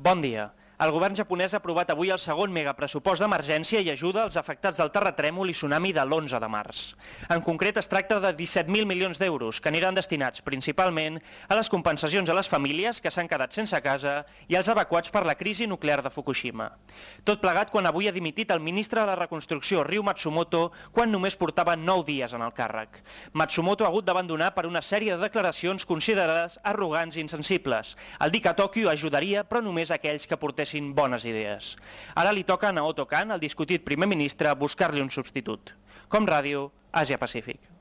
Bon dia. El govern japonès ha aprovat avui el segon megapressupost d'emergència i ajuda als afectats del terratrèmol i tsunami de l'11 de març. En concret, es tracta de 17.000 milions d'euros, que aniran destinats principalment a les compensacions a les famílies que s'han quedat sense casa i als evacuats per la crisi nuclear de Fukushima. Tot plegat quan avui ha dimitit el ministre de la Reconstrucció, Ryu Matsumoto, quan només portava 9 dies en el càrrec. Matsumoto ha hagut d'abandonar per una sèrie de declaracions considerades arrogants i insensibles. El dir que Tòquio ajudaria, però només a aquells que portessin bones idees. Ara li toca a Naoto Kan, el discutit primer ministre, buscar-li un substitut. Com Ràdio, Àsia Pacífic.